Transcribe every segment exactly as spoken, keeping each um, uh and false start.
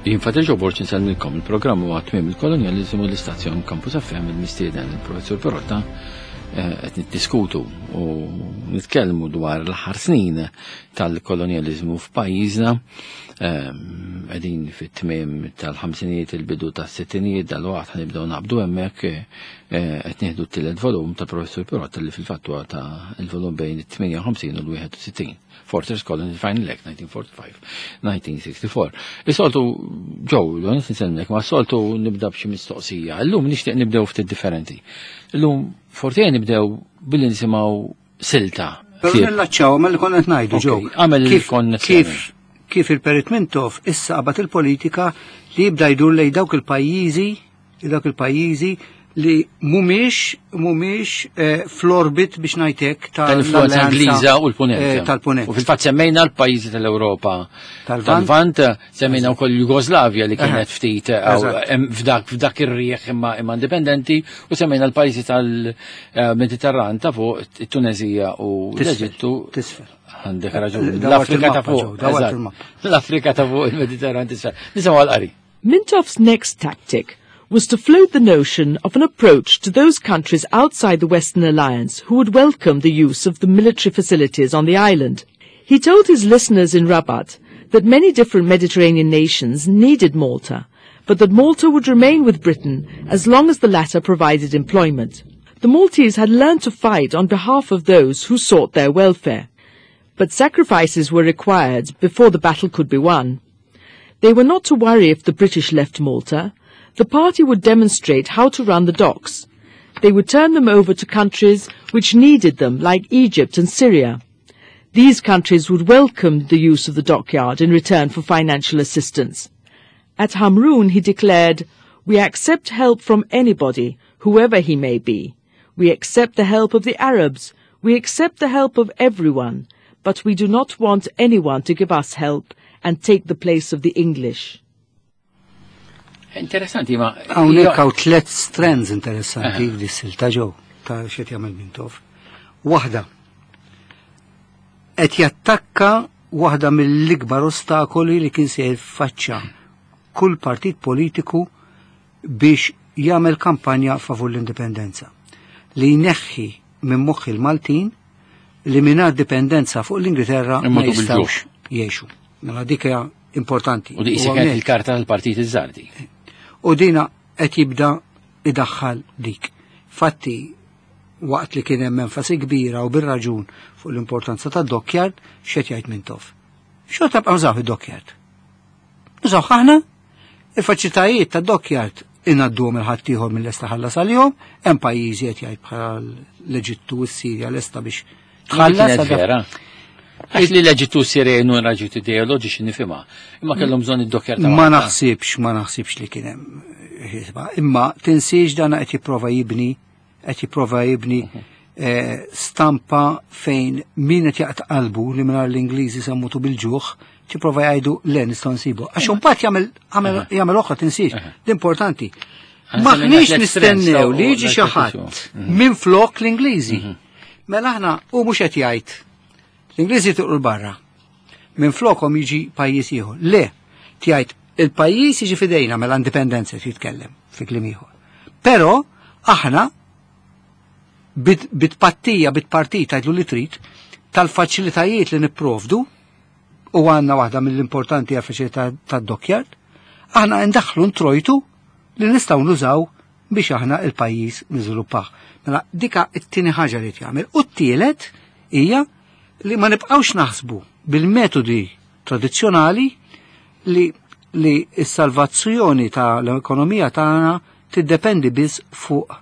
Jien Father Joe Borg insellmilkom. Il-programm huwa Tmiem il-Kolonjaliżmu, l-istazzjon Campus F M, il-mistieden il-Professur Pirotta. eh, qed niddiskutu u nitkellmu dwar l-aħħar snin tal-kolonjaliżmu f'pajjiżna. Qegħdin fit-tmiem tal-ħamsinijiet, il-bidu tas-sittinijiet, dal-waqt ħanibdew naqbdu hemmhekk. eh, qed nieħdu t-tielet volum ta' Professur Pirotta, li fil-fatt huwa ta' il-volum bejn it-tmienja u ħamsin u l-wieħed u sittin. Fortress Colony Final Act nineteen forty-five nineteen sixty-four. Is-soltu Joe, l nsellmek, ma soltu nibda b'xi mistoqsija. Illum nixtieq nibdew ftit differenti. Illum forti nibdew billi nisimgħu silta. Pero nillaċċaw ma li konna qed ngħidu, Ok, Joe. għamel Kif- il-konnessjoni. Kif kif il-Perit Mintoff issa qabad il-politika li jibda jdur lej dawk il-pajjiżi, dawk il-pajjiżi li mhumiex mhumiex eh, fl-orbit, biex ngħidlek, tal-influenza tal-alleanza, Ingliża u l-Punent. eh, tal-Punent. U fil-fatt semmejna l-pajjiżi tal-Ewropa tal-Lvant. Tal-Lvant, semmejna wkoll Jugoslavja li kienet Eħe. ftit eh, Eżatt. em, f'dak f'dak ir-rieħ imma imma indipendenti, u semmejna l-pajjiżi tal-Mediterran ta' fuq, it-Tunezija u Tisfel, l-Eġittu. Tisfel. Għandek raġun. Dawart L-Afrika ta' il-mappa, fuq. Joe, dawart Eżatt. il-mappa. L-Afrika ta' fuq, il-Mediterran tisfel. Nisimgħu għal-qari. Mintoff's next tactic was to float the notion of an approach to those countries outside the Western Alliance who would welcome the use of the military facilities on the island. He told his listeners in Rabat that many different Mediterranean nations needed Malta, but that Malta would remain with Britain as long as the latter provided employment. The Maltese had learned to fight on behalf of those who sought their welfare. But sacrifices were required before the battle could be won. They were not to worry if the British left Malta. The party would demonstrate how to run the docks. They would turn them over to countries which needed them, like Egypt and Syria. These countries would welcome the use of the dockyard in return for financial assistance. At Hamrun he declared, "We accept help from anybody, whoever he may be. We accept the help of the Arabs. We accept the help of everyone. But we do not want anyone to give us help and take the place of the English." Interessanti, ma. Hawnhekk hawn tliet strands interessanti f'dis-silta, Joe, ta' x'qed jagħmel Mintoff. Waħda, qed jattakka waħda mill-ikbar ostakoli li kien se jiffaċċa kull partit politiku biex jagħmel kampanja favur l-indipendenza. Li jneħħi minn moħħ il-Maltin li mingħajr dipendenza fuq l-Ingilterra ma Immutu jistgħux jgħixu. Mela dik hija importanti. U di U isi kienet hawnhekk- il-karta tal-partit iż-żardi. U dina qed jibda idaħħal dik. Fatti, waqt li kien hemm enfasi kbira u bir-raġun fuq l-importanza ta' dockyard, x'qed jgħid Mintoff? Xorta bqa' nużaw id-dockyard. Nużaw aħna il-faċilitajiet ta' dockyard, ingħadduhom lil ħaddieħor minn lesta ħallas għalihom, hemm pajjiżi, qed jgħid, bħal l-Eġittu u s-Sirja, lesta biex tħallas. Kienet vera. Għax li l-Eġittu, Sirja jenu raġuni ideoloġiċi nifhimha. Imma kellhom bżonn id-dockyard ta' Ma Malta. naħsibx, ma naħsibx li kien hemm ħisba. Imma tinsiex dana qed jipprova jibni, qed jipprova jibni eh, stampa fejn min qed jaqta' qalbu li mingħajr l-Ingliżi se mmutu bil-ġuħ, tipprova jgħidu le, nistgħu nsibu. Għax imbagħad jagħmel jagħmel jagħmel oħra, tinsiex, l-importanti. Għan Maħniex semmejna tliet strands nistennew u li jiġi xi ħadd minn flok l-Ingliżi. Mela aħna u mhux qed jgħid l-Ingliżi tuqru barra. Minn flokhom jiġi pajjiż ieħor. Le, tgħid il-pajjiż jiġi fidejna, mela indipendenza jitkellem fi kliem ieħor. Però aħna bit- bitpattija, bitpartita, għidlu li trid, tal-faċilitajiet li nipprovdu, u għandna waħda mill-importanti għal faċilità tad-dockyard, aħna ndaħlu ntrojtu li nistgħu nużaw biex aħna il-pajjiż niżviluppaw. Mela dika it-tieni ħaġa li jagħmel. U t-tielet hija li ma nibqgħux naħsbu bil-metodi tradizzjonali li li s-salvazzjoni ta' l-ekonomija tagħna tiddependi biss fuq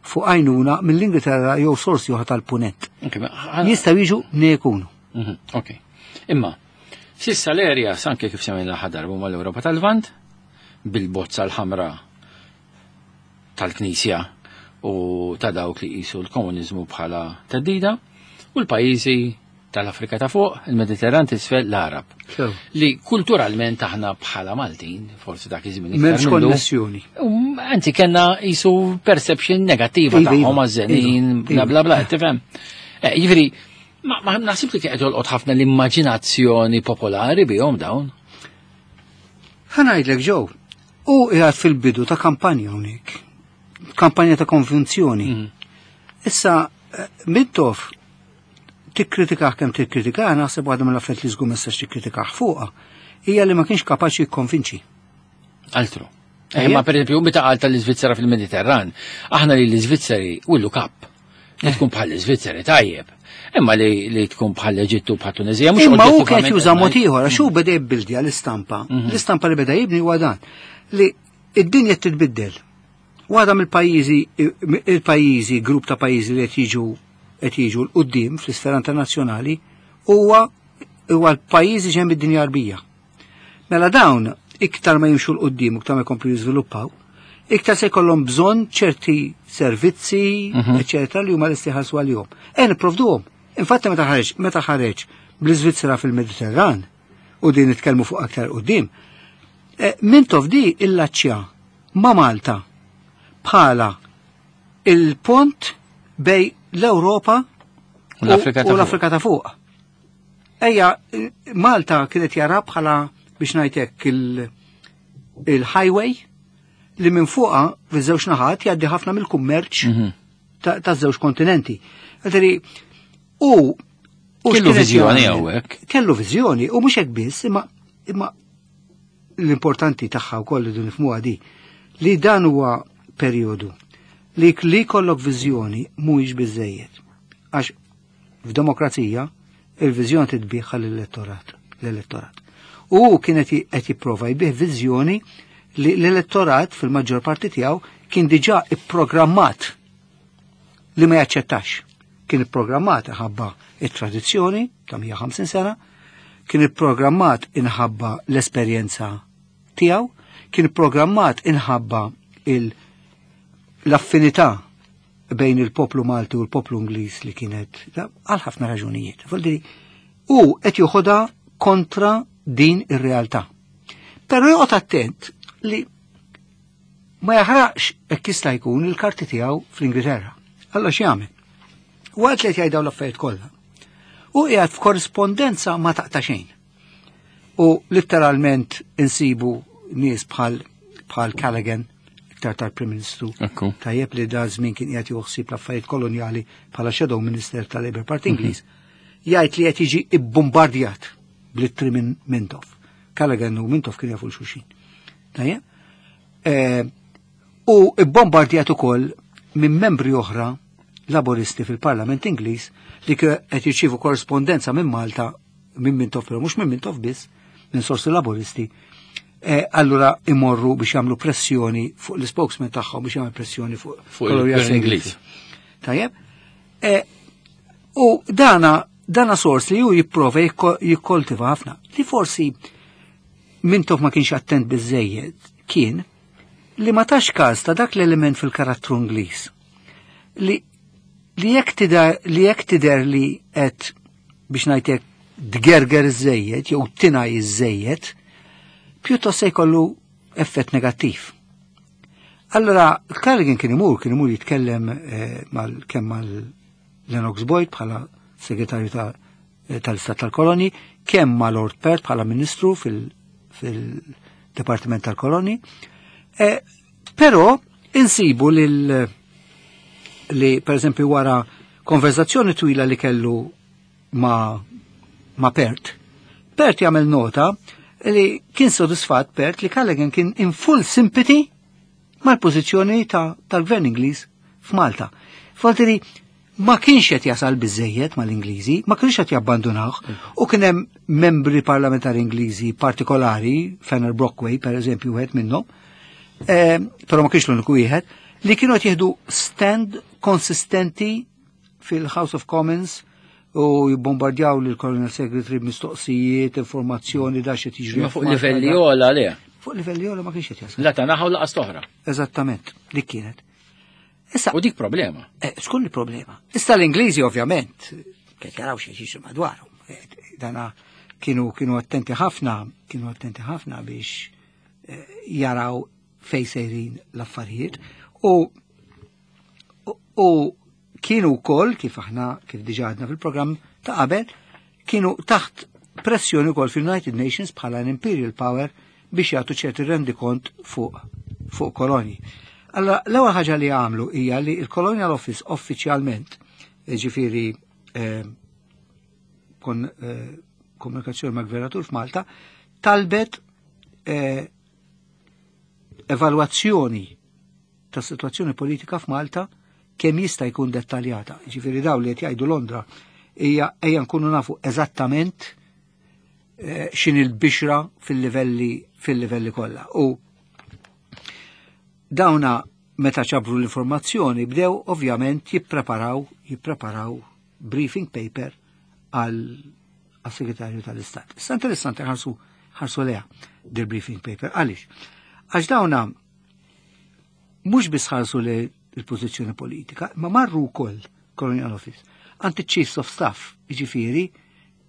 fuq għajnuna mill-Ingilterra jew sorsi oħra tal-punent. Ok, ma ħana- Jistgħu jiġu nekunu. Mhm, Ok. Imma, sissa l-erja, anke kif semmejna ħadar, huma l-Ewropa tal-Lvant, bil-bozza l-ħamra tal-Knisja u ta' dawk li qisu l-komunizmu bħala theddida, u l-pajjiżi tal-Afrika ta' fuq, il-Mediterran t'isfel, l-Arab. Li kulturalment aħna bħala Maltin, forsi dak iż-żmien iktar M'hemmx mindu, konnessjoni. Um, Anzi, kena jisu perception negattiva Iva, tagħhom iva, għażżenin, iva, bla iva. bla bla, tifhem. Eh, Jiġifieri, ma ma naħsib li kienet jolqot ħafna l-immaġinazzjoni popolari bihom dawn. Ħa ngħidlek ġew, u qiegħed fil-bidu ta' kampanja hawnhekk. Kampanja ta' konvinzjoni. Mm. Issa, eh, Mintoff tikkritikah kemm tikkritikah, naħseb waħda mill-affarijiet li żgur ma tistax tikkritikah fuqha, hija li ma kienx kapaċi jikkonvinċi. Altru. Eh, ma per esempio, meta qal tal-Iżvizzera fil-Mediterran, aħna li l-Iżvizzeri u l-kap. Li tkun bħal l-Iżvizzeri tajjeb. Imma li, li tkun bħal l-Eġittu, bħal Tunezija, mhux Imma hu kien oġġettivament juża mod ngħid. ieħor għax hu beda jibbildja l-istampa. L-istampa li beda jibni huwa dan li id-dinja titbiddel. Waħda mill-pajjiżi il-pajjiżi, grupp ta' pajjiżi li qed jiġu qed jiġu 'l quddiem fl-isfera internazzjonali huwa huwa l-pajjiżi ġenb id-dinja Għarbija. Mela dawn iktar ma jimxu 'l quddiem u iktar ma jkomplu jiżviluppaw, iktar se jkollhom bżonn ċerti servizzi, eċetera, li huma lesti jħallsu għalihom. E nipprovduhom. Infatti meta ħareġ meta ħareġ bl-Iżvizzera fil-Mediterran u din nitkellmu fuq aktar quddiem, eh, Mintoff di illaċċja ma' Malta bħala il-pont bejn l-Ewropa U l-Afrika ta' u l-Afrika ta' fuq. Ejja, Malta kienet jara bħala biex ngħidlek il- il-highway li minn fuqa fiż-żewġ naħat jgħaddi ħafna mill-kummerċ Mhm. ta' ta' żewġ kontinenti. Għadri, u u Kellu x'kienet viżjoni jagħmel? hawnhekk. Kellu viżjoni u mhux hekk biss, imma imma l-importanti tagħha wkoll li nifhmuha di li dan huwa perjodu li li jkollok viżjoni mhuwiex biżejjed. Għax f'demokrazija il-viżjoni titbiegħ l-elettorat, l-elettorat. U kienet qed jipprova jbigħ viżjoni li l-elettorat fil-maġġor parti tiegħu kien diġà ipprogrammat li ma jaċċettax. Kien ipprogrammat inħabba it-tradizzjoni ta' mija u ħamsin sena, kien ipprogrammat inħabba l-esperjenza tiegħu, kien ipprogrammat inħabba il- l-affinità bejn il-poplu Malti u l-poplu Ingliż li kienet għal ħafna raġunijiet. Vuol U qed joħodha kontra din ir-realtà. Però joqgħod attent li ma jaħraqx hekk jista' jkun il-karti tiegħu fl-Ingilterra. Allora x'jagħmel? Waqt li qed jgħid dawn l-affarijiet kollha. U qiegħed f'korrispondenza ma taqta' xejn. U letteralment insibu nies bħal bħal Callaghan, iktar tal-Prim Ministru. Ekku. Tajjeb li da żmien kien qiegħed joħsib l-affarijiet kolonjali bħala Shadow Minister tal-Labour Party Ingliż. Jgħid li qed jiġi ibbombardjat bl-ittri minn Mintoff. Callaghan u Mintoff kien jafu xulxin. Tajjeb? Eh, U ibbombardjat ukoll minn membri oħra laboristi fil-Parlament Ingliż li qed jirċievu korrespondenza minn Malta minn Mintoff, però mhux minn Mintoff biss, minn sorsi laboristi, eh, allura imorru biex jagħmlu pressjoni fuq l-spokesman tagħhom biex jagħmel pressjoni fuq Fuq il-Gvern Ingliż. Tajjeb? Eh, u dana dana sors li ju jipprova jikko- jikkoltiva ħafna. Li forsi Mintoff ma kienx attent biżejjed kien li ma tax każ ta' dak l-element fil-karattru Ingliż. Li li jekk tidher li jekk tidher li qed biex ngħidlek tgerger iżejjed jew tinaj iżejjed, pjuttost se jkollu effett negattiv. Allora, Callaghan kien imur, kien imur jitkellem eh, mal kemm mal Lennox Boyd bħala segretarju ta' eh, tal-Istat tal-Koloni, kemm ma' Lord Perth bħala ministru fil- fil-Departiment tal-Koloni. Eh, però insibu lil li per eżempju wara konverzazzjoni twila li kellu ma, ma Perth, Perth jagħmel nota li kien sodisfatt Perth li Callaghan kien in full sympathy mal-pożizzjoni ta' tal-gvern Ingliż f'Malta. Foltiri, ma kienx qed jasal biżejjed mal-Ingliżi, ma kienx qed jabbandunawh, u kien hemm membri parlamentari Ingliżi partikolari, Fenner Brockway per eżempju wieħed minnhom, eh, però ma kienx l-uniku wieħed, li kienu qed jieħdu stand konsistenti fil-House of Commons u jibbombardjaw lil Colonial Secretary b'mistoqsijiet, informazzjoni, da xi tiġri. Ma fuq livelli ogħla le. Fuq livelli ogħla ma kienx qed jasal. La ta' naħa u lanqas oħra. Eżattament, dik kienet. Issa, U dik problema. eh, xkun il-problema? Issa l-Ingliżi ovvjament, kien jaraw xi jiġri madwarhom. Eh, Dana kienu kienu attenti ħafna, kienu attenti ħafna biex eh, jaraw fej sejrin l-affarijiet u u, u kienu wkoll kif aħna kif diġà għadna fil-programm ta' qabel, kienu taħt pressjoni wkoll fil-United Nations bħala an Imperial Power biex jagħtu ċerti rendikont fuq fuq kolonji. Allora, l-ewwel ħaġa li għamlu hija li l-Colonial Office uffiċjalment, ġifieri eh, kon eh, komunikazzjoni ma' gvernatur f'Malta, talbet eh, evalwazzjoni ta' situazzjoni politika f'Malta kemm jista' jkun dettaljata. Ġifieri daw li qed jgħidu Londra hija ejja nkunu nafu eżattament eh, x'inhi l-bixra fil-livelli fil-livelli kollha. U dawna meta ġabru l-informazzjoni bdew ovvjament jippreparaw jippreparaw briefing paper għal segretarju tal-Istat. Issa interessanti ħarsu ħarsu leha dil briefing paper. Għaliex? Għax dawna mhux biss ħarsu li il-pożizzjoni politika, ma marru wkoll Colonial Office għand Chiefs of Staff, jiġifieri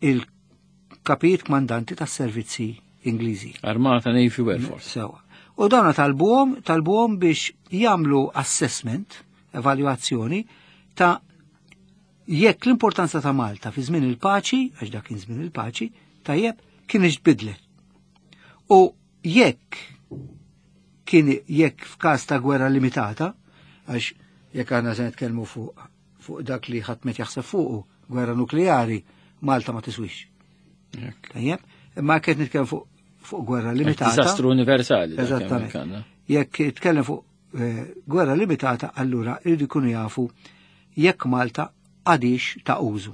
il-kapijiet kmandanti tas-servizzi Ingliżi. Armata, Navy, Air Force. Sewa. U dawna talbuhom talbuhom biex jagħmlu assessment, evalwazzjoni ta' jekk l-importanza ta' Malta fi żmien il-paċi, għax dak kien żmien il-paċi, tajjeb, kien tbidlet. U jekk kien jekk f'każ ta' gwerra limitata, għax jekk għandna se nitkellmu fuq fuq dak li ħadd met jaħseb fuqu, gwerra nukleari, Malta ma tiswix. Tajjeb, imma jekk qed nitkellmu fuq fuq gwerra limitata. Disastru universali. dak Eżattament. hemmhekk għandna. Jekk jitkellem fuq eh, gwerra limitata, allura irridu jkunu jafu jekk Malta għadix ta' użu.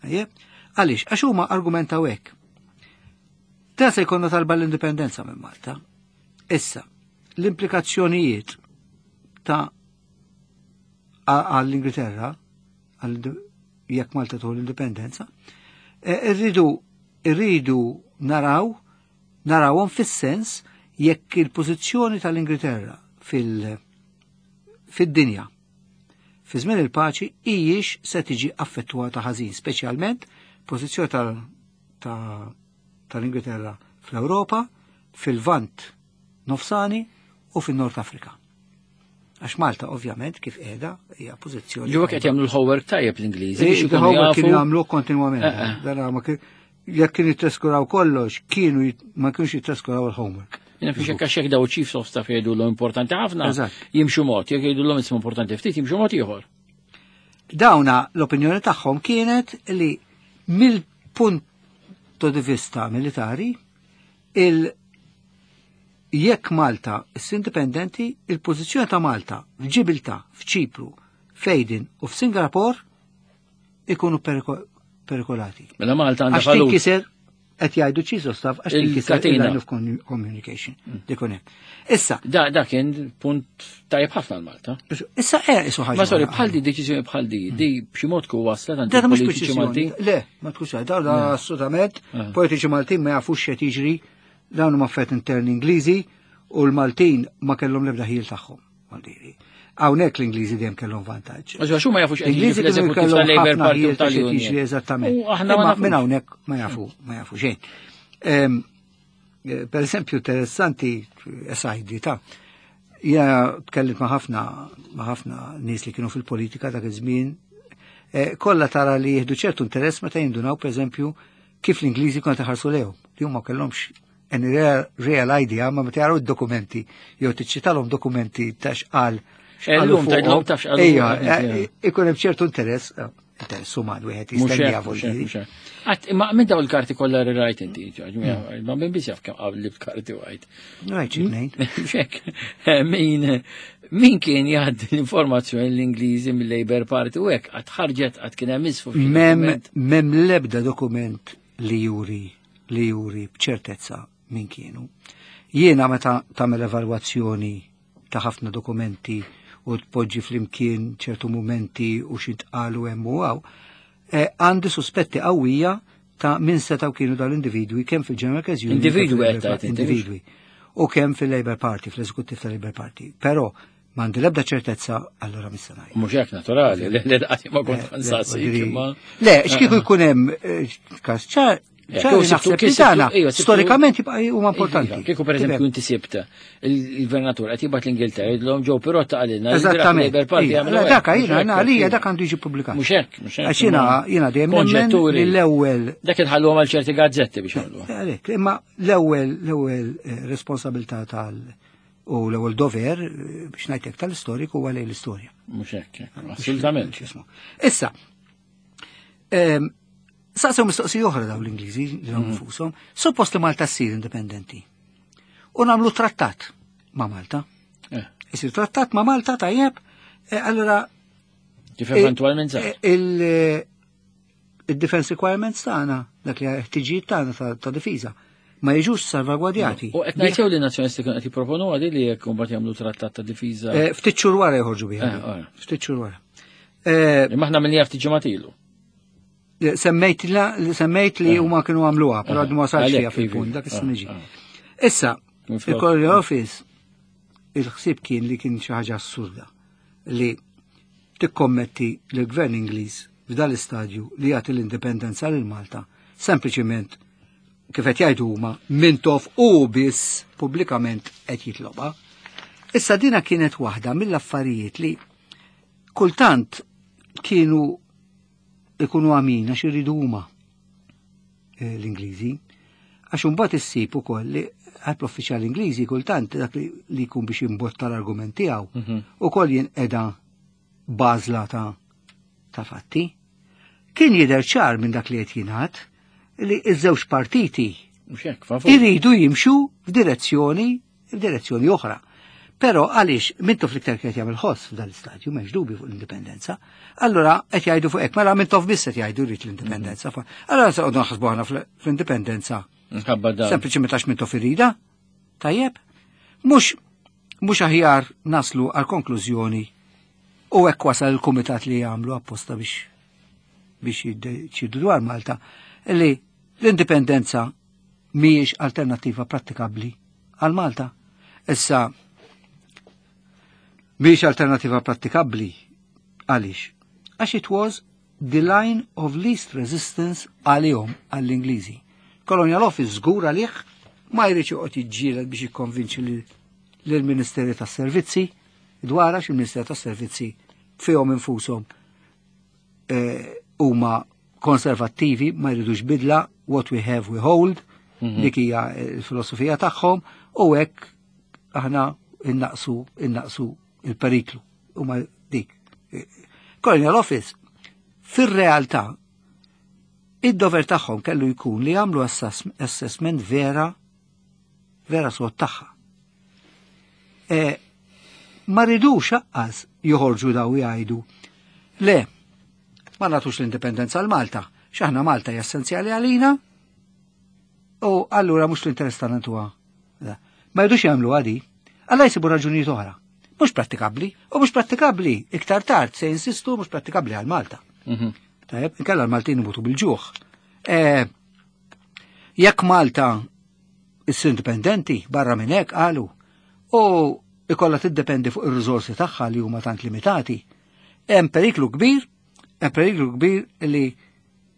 Tajjeb? Għaliex, għax huma argumentaw hekk. Ta' se jkollna talba l-indipendenza minn Malta. Issa, l-implikazzjonijiet ta' għall-Ingilterra, għall jekk Malta tieħu l-indipendenza, eh, irridu irridu naraw narawhom fis-sens jekk il-pożizzjoni tal-Ingilterra fil- fid-dinja fi żmien il-paċi hijiex se tiġi affettwata ħażin, speċjalment pożizzjoni tal- ta' tal-Ingilterra fl-Ewropa, fil-Lvant Nofsani u fin-Nord Afrika. Għax Malta ovvjament kif qiegħda hija pożizzjoni. Ġuwa qed jagħmlu l-homework tajjeb l-Ingliżi biex ikunu Il-homework kienu jafu. jagħmlu kontinwament. Eh, eh. Dan ma kien- jekk kienu jittreskuraw kollox, kienu jit- ma kienux jittreskuraw il-homework. Jiena fiex hekk għax jekk daw chiefs of staff jgħidu l importanti ħafna, Eżatt. jimxu mod, jekk jgħidu l ismu importanti ftit, jimxu mod ieħor. Dawna l-opinjoni tagħhom kienet li mill-punto di vista militari il jekk Malta issir indipendenti, il-pożizzjoni ta' Malta f'Ġibilta, f'Ċipru, f'Aden u f'Singapore ikunu periko- perikolati. Mela Malta għandha Għax valut. tinkiser qed jgħidu chiefs of staff għax tinkiser Il-katina. il-line of commu- communication. Dikun hemm. Issa, Da, da kien punt tajjeb ħafna l-Malta. issa eh isu ħaġa. Ma sorry, oħra. bħal di deċiżjoni bħal di, di b'xi mod ku waslet għand Da mhux il-politiċi Maltin. preċiżjoni. Le, ma tkunx da da assolutament Ah. politiċi Maltin ma jafux x'qed jiġri dawn huma affarijiet interni Ingliżi u l-Maltin ma kellhom l-ebda ħil tagħhom. Maldiri. Hawnhekk l-Ingliżi dejjem kellhom vantaġġ. Għax għax huma jafux qed jiġri L-Ingliżi kienu fl-eżekuttiv kellhom tal-Labour ħafna Party u ħil ta' x'qed jiġri tal-Union. eżattament. U aħna ma Imma nafux. minn hawnhekk ma jafu, ma jafu xejn. Ehm, eh, Per eżempju, interessanti aside ta' ja tkellimt ma' ħafna ma' ħafna nies li kienu fil-politika dak iż-żmien eh, kollha tara li jieħdu ċertu interess meta jindunaw pereżempju kif l-Ingliżi kienu taħarsu lejhom li huma kellhomx any real, real idea ma meta jaraw id-dokumenti jew tiċċitalhom dokumenti ta' x'qal x'qalu Ellum fuqhom. tgħidlhom taf x'qalu Ejja, fuqhom, eh, ikun hemm ċertu interess, eh, interess uman wieħed Mhux jistennija hekk, mhux hekk, vuol mhux hekk. Qatt, imma minn daw il-karti kollha li rajt inti, ġaġ, ma minn biss jaf kemm qabli b'karti għajt. Rajt xi tnejn. Xek, min min kien jgħaddi l-informazzjoni l-Ingliżi mill-Labour Party u hekk qatt ħarġet qatt kien hemm isfu f'xi Mem, dokument. mem lebda dokument li juri li juri b'ċertezza min kienu. Jiena meta tagħmel evalwazzjoni ta' ħafna dokumenti u tpoġġi flimkien ċertu momenti u x'intqalu hemm u hawn, eh, għandi suspetti qawwija ta' min setaw kienu dal-individwi kemm fil-General Workers Union. Individwi kemm fil-Labour qed tgħid Party- inti, Individwi. U kemm fil-Labour Party, fl-eżekuttiv tal-Labour Party. Però m'għandi l-ebda ċertezza allura missa ngħid. Mhux hekk naturali, li li qatt ma kont Eh, nsaqsik le, imma. Le, x'kieku jkun hemm eh, każ ċar, Ċari naħseb li tagħna storikament jibqa' huma importanti. Kieku pereżempju inti sibt il-gvernatur qed jibgħat l-Ingilterra jgħidlhom ġew Pirotta qalilna. Eżattament. Dak jiena għalija dak għandu jiġi ppubblikat. Mhux hekk, mhux hekk. Għax jiena jiena dejjem nemmen li l-ewwel. Dak inħalluhom għal ċerti gazzetti biex jagħmluha. Għalhekk, imma l-ewwel l-ewwel responsabilità tal u l-ewwel dover biex ngħidlek tal-istoriku huwa lejn l-istorja. Mhux hekk, assolutament. Issa, saqsew mistoqsija oħra daw l-Ingliżi li nfushom, suppost li Malta ssir indipendenti. U nagħmlu trattat ma' Malta. Isir trattat ma' Malta tajjeb, allura kif eventwalment sar. Il-defense requirements tagħna, dak li ħtiġijiet tagħna ta' difiża, ma jiġux salvagwardjati. U qed ngħid li n-Nazzjonisti kienu qed jipproponu għadi li jekk imbagħad jagħmlu trattat ta' difiża. Ftit xhur wara joħorġu biha. Ftit xhur wara. Imma aħna minnija ftit ġimgħat ilu. Semmejt semmejt li huma kienu għamluha, però għadu ma wasalx fiha fil-punt, dak issa niġi. Issa, il-Colonial Office, il-ħsieb kien li kien xi ħaġa assurda li tikkommetti l-gvern Ingliż f'dal istadju li jagħti l-indipendenza lil Malta, sempliċiment kif qed jgħidu huma Mintoff u biss pubblikament qed jitlobha. Issa dina kienet waħda mill-affarijiet li kultant kienu ikunu għamin għax irridu huma l-Ingliżi. Għax imbagħad issib ukoll li għal l-uffiċjali Ingliżi kultant dak li jkun biex imbotta l-argument tiegħu ukoll jinqeda bażla ta' ta' fatti. Kien jidher ċar minn dak li qed jingħad li ż-żewġ partiti iridu jimxu f'direzzjoni f'direzzjoni oħra. Però għaliex Mintoff l-iktar qed jagħmel ħoss f'dan l-istadju m'hemmx dubju fuq l-indipendenza. Allura qed jgħidu fuq hekk, mela Mintoff biss qed jgħidu jrid l-indipendenza. Allura se qogħdu naħsbu aħna fl-indipendenza. Sempliċement għax Mintoff irida. Tajjeb. Mhux mhux aħjar naslu għal konklużjoni u hekk wasal il-kumitat li jagħmlu apposta biex biex jiddeċidu dwar Malta li l-indipendenza mhijiex alternattiva prattikabbli għal Malta. Issa mhijiex alternativa prattikabbli għaliex? Għax it was the line of least resistance għalihom għall-Ingliżi. Colonial Office żgur għalih ma jridx joqgħod jiġġieled biex jikkonvinċi lill-Ministeri tas-Servizzi dwar għax il-Ministeru tas-Servizzi fihom infushom huma konservattivi, ma jridux bidla, what we have we hold, dik hija l-filosofija tagħhom u hekk aħna innaqsu innaqsu il-periklu. Huma dik. Colonial Office fir-realtà id-dover tagħhom kellu jkun li jagħmlu assessment vera vera sod tagħha. Ma ridux aqqas joħorġu daw jgħidu le, ma nagħtux l-indipendenza għal Malta, x'aħna Malta hija essenzjali għalina u allura mhux l-interess tagħna ntuha. Ma jridux jagħmlu għadi, alla jsibu raġunijiet oħra. Mhux prattikabbli, u mhux prattikabbli iktar tard se jinsistu mhux prattikabbli għal Malta. Tajjeb, inkella l-Maltin imutu bil-ġuħ. Jekk Malta issir indipendenti barra minn hekk qalu u ikollha tiddependi fuq ir-riżorsi tagħha li huma tant limitati, hemm periklu kbir, hemm periklu kbir li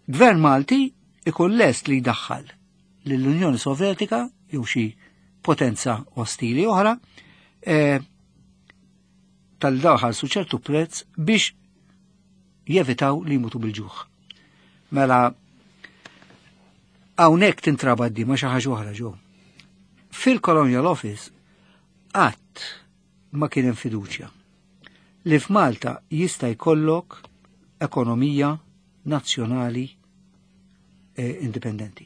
gvern Malti ikun lest li jdaħħal lill-Unjoni Sovjetika jew xi potenza ostili oħra tal-daw ħalsu ċertu prezz biex jevitaw li jmutu bil-ġuħ. Mela hawnhekk tintrabad di ma xi ħaġa oħra ġew. Fil-Colonial Office qatt ma kien hemm fiduċja li f'Malta jista' jkollok ekonomija nazzjonali indipendenti.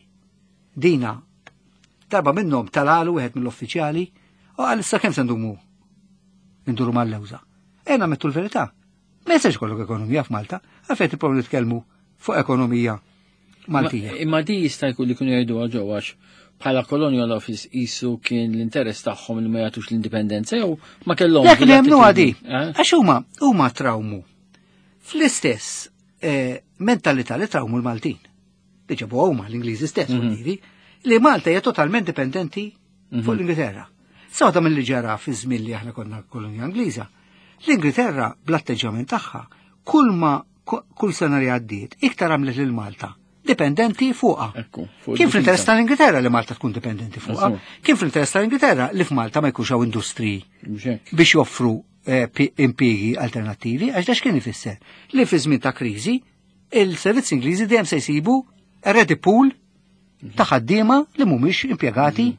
Dina darba minnhom talalu wieħed mill-uffiċjali u qal issa kemm se ndumu nduru mal-lewża. Ejna mettu l-verità. Ma jistax jkollok ekonomija f'Malta, għalfejn tipprovaw nitkellmu fuq ekonomija Maltija. Imma di jista' jkun li kienu jgħidu ġew għax bħala Colonial Office isu kien l-interess tagħhom li ma jagħtux l-indipendenza jew ma kellhom. Jekk li jemmnu għadi, għax huma huma trawmu fl-istess mentalità li trawmu l-Maltin. Li ġabu huma l-Ingliżi stess, li Malta hija totalment dipendenti fuq l-Ingilterra. Sa waħda mill-li ġara fi żmien li aħna konna kolonja Ingliża, l-Ingilterra bl-atteġġjament tagħha kull ma kull sena li għaddiet iktar għamlet lil Malta dipendenti fuqha. Ekku, fuq Kien fl-interess il-difiża. tal-Ingilterra li Malta tkun dipendenti fuqha. Eżatt. Kien fl-interess tal-Ingilterra li f'Malta ma jkunx hawn industriji Mhux hekk. biex joffru eh, pi- impjiegi alternattivi, għax dax kien ifisser li fi żmien ta' kriżi il-servizzi Ingliżi dejjem se jsibu ready pool ta' ħaddiema li mhumiex impjegati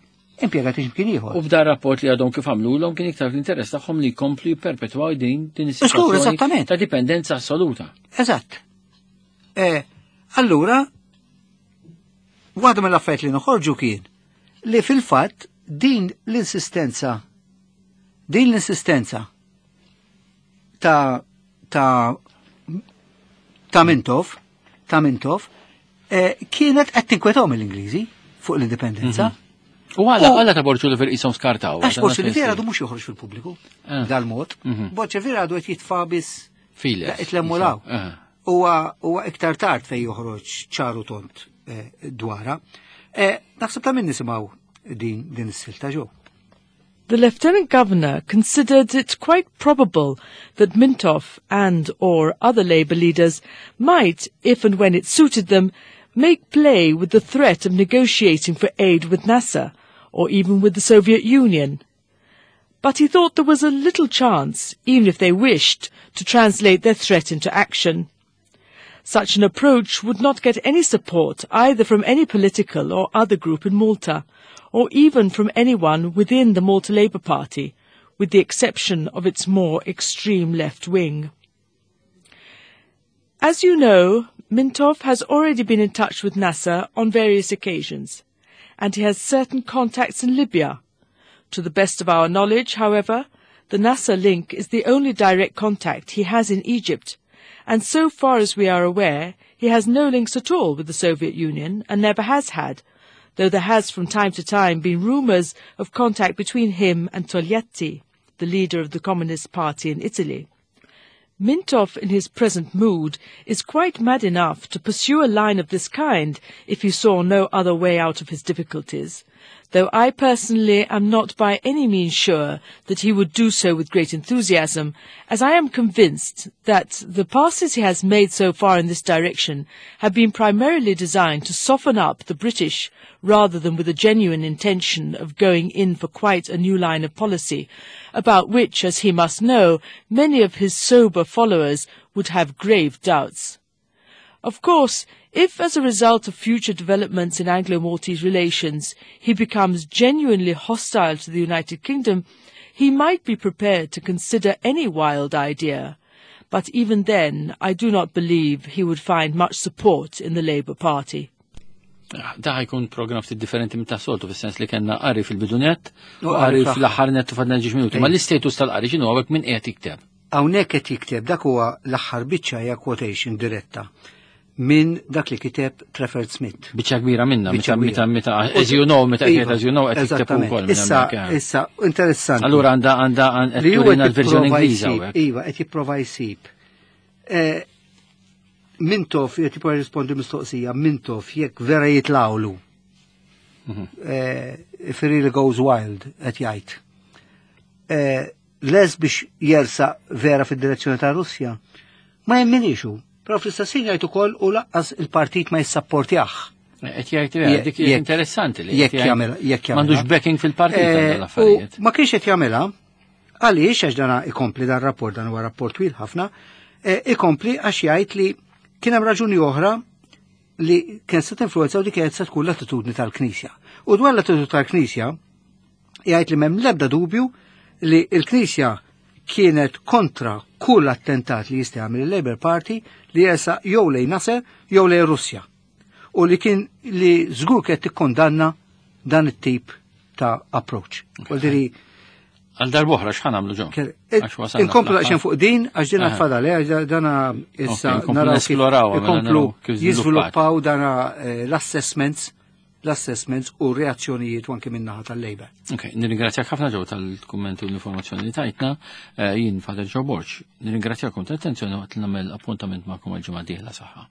impjegati x'imkien ieħor. U f'dan rapport li għadhom kif għamlulhom kien iktar fl-interess tagħhom li jkomplu jipperpetwaw din din Żgur, is-sitwazzjoni eżattament. ta' dipendenza assoluta. Eżatt. Eh, allura, waħda mill-affarijiet li noħorġu kien li fil-fatt din l-insistenza din l-insistenza ta' ta' ta' Mintoff, ta' Mintoff, eh, kienet qed tinkwetahom l-Ingliżi fuq l-indipendenza. U għala U- għala ta' Borg Olivier qishom skartaw. Għax Borg Olivier għadu mhux joħroġ fil-pubbliku Ah. dal-mod. Mhm. Borg Olivier għadu qed jitfa' biss Files. Itlemmu law. Ah. Huwa huwa iktar tard fej joħroġ ċaru tont eh, dwara. Eh, Naħseb ta' min nisimgħu din din is-silta ġew. The Lieutenant Governor considered it quite probable that Mintoff and or other Labour leaders might, if and when it suited them, make play with the threat of negotiating for aid with Nasser or even with the Soviet Union. But he thought there was a little chance, even if they wished, to translate their threat into action. Such an approach would not get any support either from any political or other group in Malta, or even from anyone within the Malta Labour Party, with the exception of its more extreme left wing. As you know, Mintoff has already been in touch with Nasser on various occasions, and he has certain contacts in Libya. To the best of our knowledge, however, the Nasser link is the only direct contact he has in Egypt, and so far as we are aware, he has no links at all with the Soviet Union and never has had, though there has from time to time been rumours of contact between him and Togliatti, the leader of the Communist Party in Italy. Mintoff, in his present mood, is quite mad enough to pursue a line of this kind if he saw no other way out of his difficulties, though I personally am not by any means sure that he would do so with great enthusiasm, as I am convinced that the passes he has made so far in this direction have been primarily designed to soften up the British rather than with a genuine intention of going in for quite a new line of policy, about which, as he must know, many of his sober followers would have grave doubts. Of course, if as a result of future developments in Anglo-Maltese relations he becomes genuinely hostile to the United Kingdom, he might be prepared to consider any wild idea. But even then, I do not believe he would find much support in the Labour Party. Da jkun program ftit differenti minn tas-soltu fis-sens li kellna qari fil-bidu nett u U qari qari fl-aħħar nett u fadlna ġiex minuti. Ma l-istatus tal-qari x'inhu hawnhekk min qiegħed jikteb? Hawnhekk qed jikteb dak huwa l-aħħar biċċa hija quotation diretta minn dak li kiteb Trafford Smith. Biċċa kbira minna, Biċċa meta kbira. meta meta as you know, meta Iva, qiegħed as you know qed jikteb eżattament. ukoll minn Issa, hemmhekk, eh. issa, interessanti. Allura għandha għandha qed li huwa turina qed l-verżjoni jipprova Ingliża jsib, hawnhekk. Iva, qed jipprova jsib. Eh, Mintoff, qed jipprova jirrispondi mistoqsija, Mintoff jekk vera jitlawlu. Mhm. Eh, If he really goes wild, qed jgħid. Eh, Les biex jersa vera fid-direzzjoni ta' Russja, ma jemminix hu. Però fl-istess ħin jgħid ukoll u lanqas il-partit ma jissapportjah. Qed jgħid eh, dik hija Jekk- interessanti li jekk qed jgħid jagħmel jekk jagħmilha. M'għandux backing fil-partit Eh, għal l-affarijiet. u Ma kienx qed jagħmilha għaliex għax dana ikompli dan rapport dan huwa rapport twil ħafna, eh, ikompli għax jgħid li kien hemm raġuni oħra li kien se tinfluwenza u li kienet se tkun l-attitudni tal-Knisja. U dwar l-attitudni tal-Knisja jgħid li m'hemm l-ebda dubju li l-Knisja kienet kontra kull attentat li jista' jagħmel il-Labour Party li jersaq jew lejn Nasser jew lejn Russja. U li kien li żgur kienet tikkondanna dan it-tip ta' approach. Vuol Għal darb'oħra x'ħa nagħmlu ġo? Għax wasalna Inkomplu fl-aħħar. daqsxejn fuq din, għax din Aha. tfadal, eh, għax dana issa Ok, inkomplu naraw kif nesplorawha, mela ikomplu naraw kif żviluppat. jiżviluppaw dana eh, l-assessments, l-assessments u reazzjonijiet u anke min-naħa tal-Labour. Ok, nirringrazzjak ħafna ġew tal-kummenti u l-informazzjoni li tajtna. Eh, Jien Father Joe Borg, nirringrazzjakom tal-attenzjoni waqt li nagħmel appuntament magħkom għal ġimgħa dieħla saħħa.